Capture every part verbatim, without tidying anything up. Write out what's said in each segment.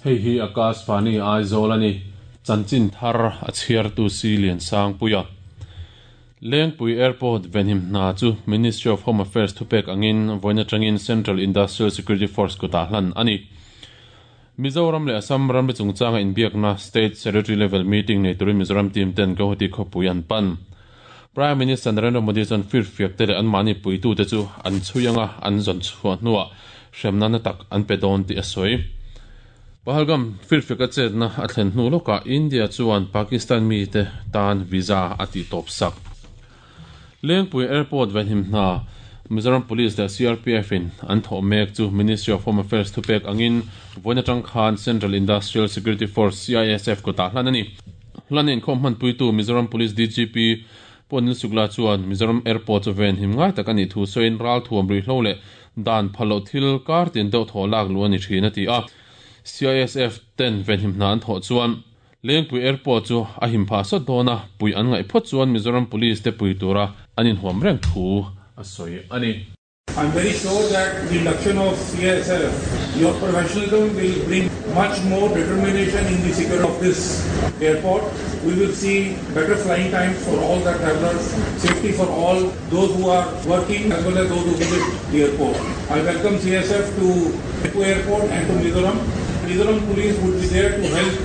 Hei hi Akashvani Aizawl ani chanchin thar a chhiartu si lian sang puia Lengpui Airport venhim hna chu Ministry of Home Affairs thupek angin voina tangin Central Industrial Security Force kuta hlan ani Mizoram le Assam ram chungchanga inbiakna State Secretary level meeting nei turin Mizoram team ten Guwahati khawpui an pan Prime Minister Narendra Modi chuan fir fiak te leh an mahni puitu te chu an chhuianga an zawn chhuah hnuah hremna na tak an pe dawn tih a sawi Pahalgam fir fiak a chetna a thlen hnu lawkah India chuan Pakistan mi te tan visa a tih tawp sak Lengpui Airport venhim hna Mizoram Police le C R P F in an thawh mek chu Ministry of Home Affairs thupek angin vawiin atang khan Central Industrial Security Force C I S F kutah hlan ani hlan in khawm hmanpuitu Mizoram Police D G P Ponil Sukla chuan Mizoram Airport chu ven him ngai tak ani thu sawiin ral thuam rui hlo leh dan phalo thil kar tin deuh thaw lak lu ani thin a ti a C I S F ten ven him hna an thawh chuan Lengpui Airport chu a him pha sawt dawna pui an ngaih phawt chuan Mizoram Police te pui tura an inhuam reng thu a sawi ani I'm very sure that the induction of C I S F, your professionalism will bring much more determination in the security of this airport. We will see better flying times for all the travelers, safety for all those who are working as well as those who visit the airport. I welcome C I S F to Lengpui Airport and to Mizoram. Mizoram Police would be there to help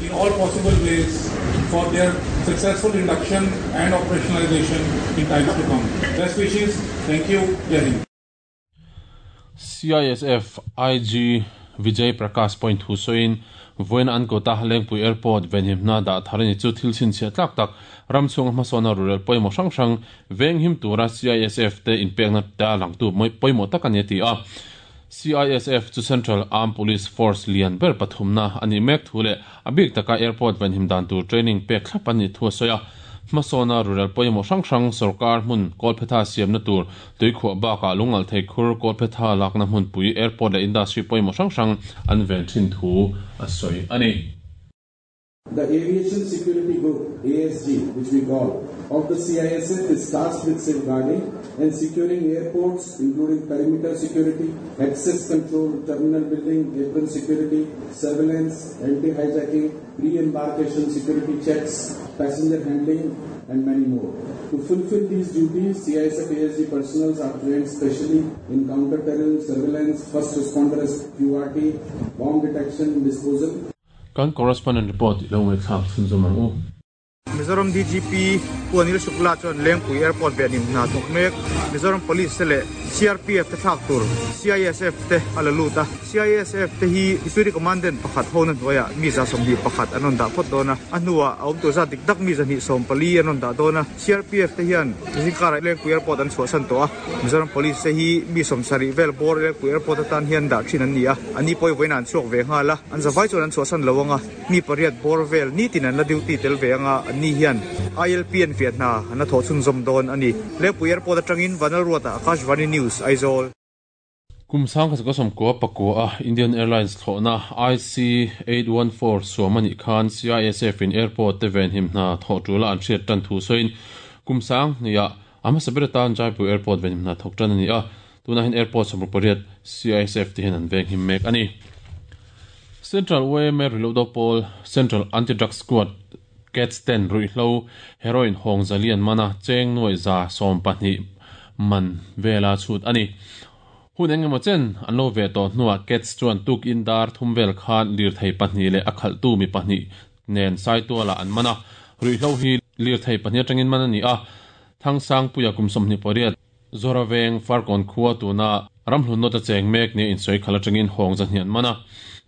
in all possible ways for their successful induction and operationalization in times to come. Best wishes. Thank you. Jai Hind. C I S F I G Vijay Prakash Point Hussain voin an kota Lengpui Airport venhimna da tharini chu thil chin chhe tlak tak ramchhung hmasawna rural pawimawh hrang hrang venghim tura C I S F te inpekna ta langtu pawimawh tak ani ti a C I S F chu Central Armed Police Force lian ber pathumna ani mek thu le abik taka airport venhim dan tur training pek thlap ani thu a sawi a hmasawna rural pawimawh hrang hrang sarkar hmun Kolphetha siamna tur tuikhuah bakah lungal thei khur Kolphetha lakna hmunpui airport leh industry pawimawh hrang hrang an ven thin thu a sawi ani The Aviation Security Group, A S G, which we call, of the C I S F is tasked with safeguarding and securing airports, including perimeter security, access control, terminal building, apron security, surveillance, anti-hijacking, pre-embarkation security checks, passenger handling, and many more. To fulfill these duties, C I S F A S G personnel are trained specially in counter-terrorism, surveillance, first responders, Q R T, bomb detection, disposal. Kan correspondent report ilo ngai thlak chhun zawm ang u. Mizoram D G P Ponil Shukla chuan Lengpui Airport venim hna thawk mek Mizoram Police te leh C R P F te thlak tur C I S F te a la lut a C I S F te hi Deputy Commandant pakhat ho na hnuaiah mi za sawmhnih pakhat an rawn dah phawt dawn a a hnuah a awm tur zat dik tak mi zahnih sawm pali an rawn dah dawn a C R P F te hian zingkarah Lengpui Airport an chhuahsan tawh a Mizoram Police te hi mi sawm sarih vel bawr Lengpui Airport atan hian dah thin an ni a ani pawh vawiin an chhuak ve nghal a an zavai chuan an chhuahsan lo anga mi pariat bawr vel nitin an la duty tel ve anga an ni hian I L P an fiat hna an la thawh chhun zawm dawn ani Lengpui Airport atangin Vanal Ruata Akashvani News Aizawl Kumsang kha som ko pakua a Indian Airlines thlawhna I C eight one four suamani khan C I S F in airport te ven him hna thawh tula an hriat tan thu sawiin kumsang nia ama sabiratan Jaipur Airport ven him hna thawk tan ani a tuna hin airport somruk pariat C I S F te hian an veng him mek ani Central U M A Reload Pawl Central Anti-Drug Squad Cats ten ruihhlo heroin hawng zalian mana cheng nuai za sawm pahnih man vela chhut ani hun engemaw chen an lo ve tawh hnuah Cats chuan tuk in dar thum vel khan lir thei pahnih leh a khalhtu mi pahnih nen saituala an mana ruihhlo hi lir thei pahnih atangin man ani a thangsang puia kum sawmhnih pariat Zoraveng Farkon khua tuna ramhlun nawta cheng mek ni in sawi khala atangin hawng zahnih an mana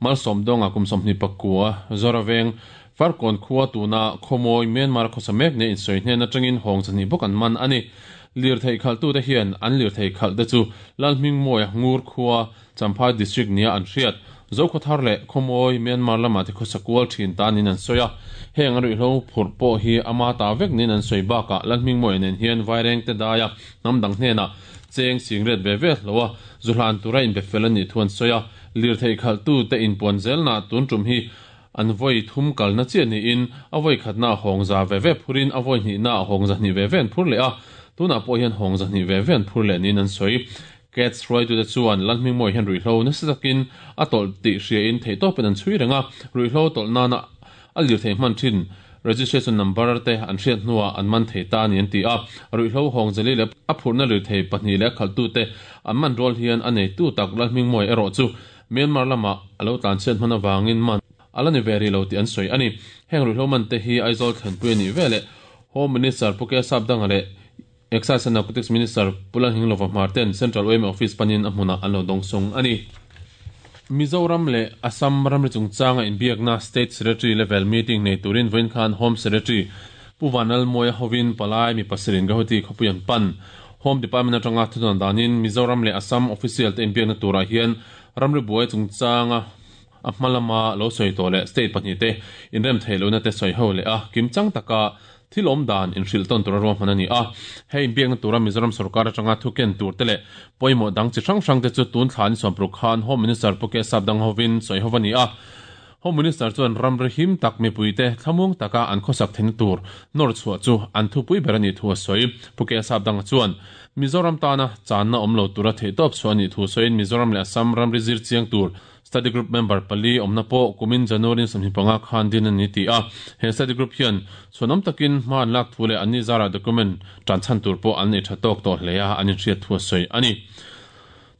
malsawm dawnga kum sawmhnih pakua Zoraveng Farkon khua tuna khawmawi Myanmar khawsa mek ni in sawi hnen atangin hawng zahnih bawk an man ani lir thei khaltu te hian an lir thei khal te chu Lalhming Mawia Ngur khua Champhai district nia an hriat Zokhathar leh khawmawi Myanmar lama te khawsa kual thin tanin an sawi a heng a ruihhlo phurh pawh hi ama ta vek nin an sawi bakah Lalhming Mawia nen hian vaireng te daia hnam dang hnenah cheng singret ve ve hloa zuhlan tura in be fel ani thu an sawi a lir thei khaltu te in puan zelna tun tum hi an voi thum kalna chi ani in a voi khatna hawng za ve ve phurin a voi hnih na hawng za hnih ve ve an phur leh a tuna pawh hian hawng za hnih ve ve an phur leh nin an sawi Cats roi tu te chuan lalhming moi hian ruihhlo nasa takin a tawlh tih hria in theih tawpin an chhui reng a ruihhlo tawlh nana a lir thei hman thin registration number te an hriat hnuah an man thei ta ani an ti a ruihhlo hawng zali leh a phurhna lir thei pahnih leh khaltu te an man rual hian a neitu tak lalhming moi erawh chu Myanmar lama alo tlan chhiat hman awangin man ala ni ve ri lo tih an sawi ani heng ruihhlo man te hi Aizawl thlanpui ani vele Home Minister Puke Sapdanga leh Excise and Narcotics Minister Pulan Hinglova Marten Central O M Office panin a hmuna an lo dawng sung ani Mizoram le Assam ramri chungchanga inbiakna State Secretary level meeting nei turin vawiin khan Home Secretary Pu Vanal Moya hovin palai mi pasirin Guwahati khawpui an pan Home Department atanga thudan danin Mizoram le Assam official te inbiakna turah hian ramri buai chungchanga a hmalama lo sawi tawh leh state pahnih te inrem thei lohna te sawi ho leh a kimchang taka thil awm dan inhrilh tawn tura ruahman ani a hei inbiakna tura Mizoram sarkar atanga thuken tur te leh pawimawh dang chi hrang hrang te chu tun thla ni sawmparuk khan Home Minister Puke Sapdang hovin sawi ho ani a Home Minister chuan ramri him tak mipui te thlamung taka an khawsak theihna tur nawr chhuah chu an thupui ber ani thu a sawi Puke Sapdang chuan Mizoram tana channa awm lo tura theih tawp chu ani thu sawiin Mizoram leh Assam ramri zir chiang tur study group member pali awmna pawh kumin January sawmhnih panga khan din ani ti a he study group hian chhuanawm takin hma an lak thu leh an ni zara document tan chhan tur pawh an nei tha tawk tawh hle a an inhriat thu a sawi ani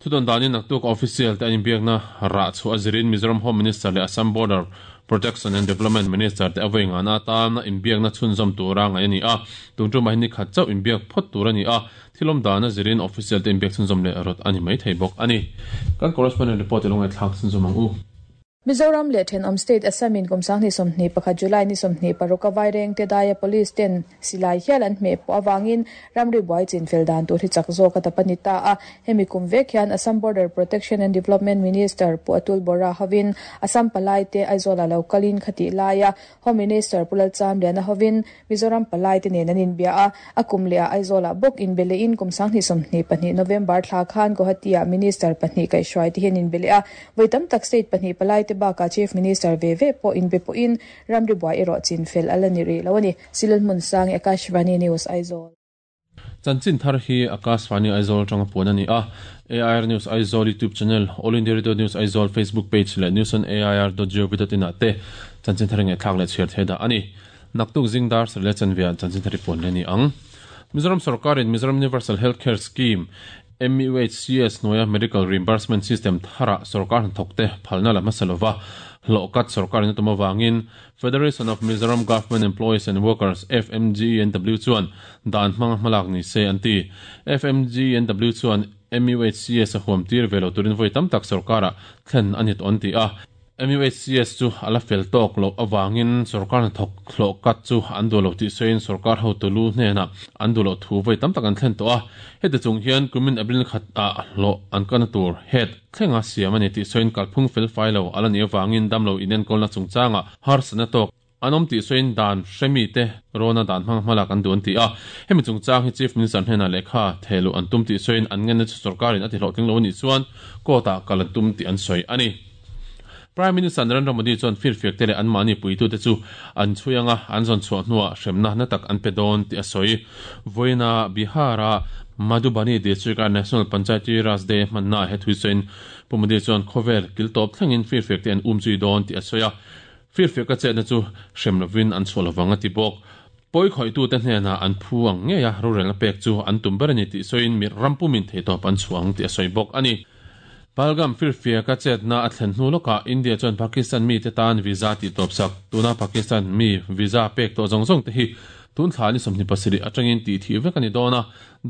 Thudan danin naktuk official te an inbiakna rah chu a zirin Mizoram Home Minister leh Assam Border Protection and Development Minister te awei ngana tan inbiakna chhunzawm tura ngai ani a tungtu mahni khat chauh inbiak phawt tur ani a thilawm dana zirin official te inbiak chhunzawm leh rawt ani mai thei bawk ani kan correspondent report longai thlak chhunzawm ang u Mizoram le thenawm state Assam in kumsang ni sawmhnih pakhat July ni sawmhnih paruk a vaireng te daia police ten silai hial an hmeh pawh awangin ramri buai chin fel dan tur hi chak zawk a tap ani ta a hemi kum vek hian Assam Border Protection and Development Minister Pu Atul Bora hovin Assam palai te Aizawl a lokalin khati laia Home Minister Pulal Chamliana hovin Mizoram palai te nen an inbia a a kum le a Aizawl a bawk in bele in kumsang ni sawmhnih pahnih November thla khan Guwahati a Minister pahnih kai hruai te hian in bele a voitam tak state pahnih palai te baka Chief Minister ve ve po in be po in ramri buai ero chin fel ala ni ri lo ani silul mun sang Akashvani News Aizawl Chanchin thar hi Akashvani Aizawl tanga pon ani a A I R News Aizawl YouTube channel All India Radio News Aizawl Facebook page le news on A I R dot gov dot in ate chanchin thar nge thlak le chher theda ani naktuk zingdar sele chanvia chanchin thari pon le ni ang Mizoram Sarkar in Mizoram Universal Healthcare Scheme M U H C S noya Medical Reimbursement System thara sarkar thokte phalna la masalova lokat sarkar na tumawangin Federation of Mizoram Government Employees and Workers F M G N W chuan dan hmang hmalak ni se anti F M G N W chuan M U H C S a huam tir velo turin voi tam tak sarkara thlen anit on ti a M U H C S chu ala fel tok lo awangin sarkar thok thlokat chu an du lo ti sein sarkar ho tulu hnena an du lo thu voi tam tak an thlen to a hete chung hian kumin april khat a lo an kana tur het thlenga siam ani ti sein kalphung fel fai lo ala ni awangin damlo inen kolna chungchanga har sana tok anom ti sein dan hremi te rona dan hmang hmalak an duan ti a hemi chungchang hi Chief Minister hnena lekha thelu an tum ti sein an ngen na chu sarkarin ati hlo tling lo ni chuan kota kalan tum ti an soi ani Prime Minister Narendra Modi chuan fir fiak te le an mani puitu te chu an chuyanga an zon chhuah hnuah hremna na tak an pe dawn ti a sawi voina Bihara Madhubani district a National Panchayati Raj Day hmanna he thui sawiin Pu Modi chuan khawvel kil tawp thlengin fir fiak te an um chui dawn ti a sawi a fir fiak a chetna chu hrem lovin an chhuah lovang a ti bawk poi khoitu te hnena an phu ang nge a rorel pek chu an tum ber ani ti sawiin mi rampumin thei tawp an chhuang ti a sawi bawk ani Palgam firfia ka chetna a thlen hnu loka India chuan Pakistan mi te tan visa ti tawp sak tuna Pakistan mi visa pek to zong zong te hi tun thla ni sawmhnih pasarih atangin ti thi vek ani dawn a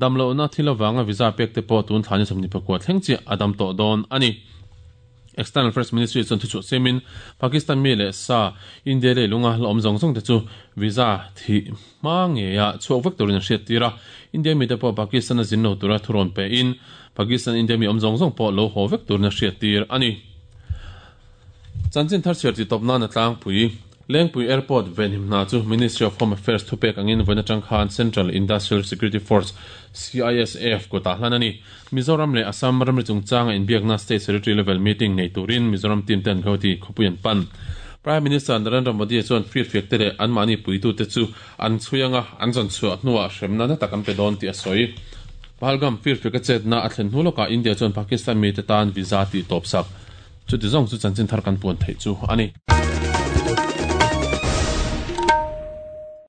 damlo na thil awanga visa pek te pawh tun thla ni sawmhnih pakua thleng chi a dam tawh dawn ani External Affairs Ministry chuan thuchhuah semin Pakistan mi leh sa India leh lunga la awm zawng zawng te chu visa thi hma nge a chhuak vek turin an hriat tir a India mi te pawh Pakistan a zin lo tura thurawn pe in Pakistan India mi awm zawng zawng pawh lo haw vek turin a hriat tir ani Chanchin thar chhiar ti tawp nan a tlangpui Lengpui Airport venhim hna chu Ministry of Home Affairs thupek angin vawiin atang khan Central Industrial Security Force C I S F kutah hlan ani Mizoram leh Assam ramri chungchanga inbiakna State Secretary level meeting nei turin Mizoram team ten Guwahati khawpui an pan Prime Minister Narendra Modi chuan fir fiak te leh an mahni puitu te chu an chhuianga an zon chhuah hnuah hremna na tak an pe dawn tih a sawi Pahalgam firfiak a chetna a thlen hnu lawkah India chuan Pakistan mite tan visa tih tawp sak. Chuti zawng chu chanchin thar kan puan theih chu a ni.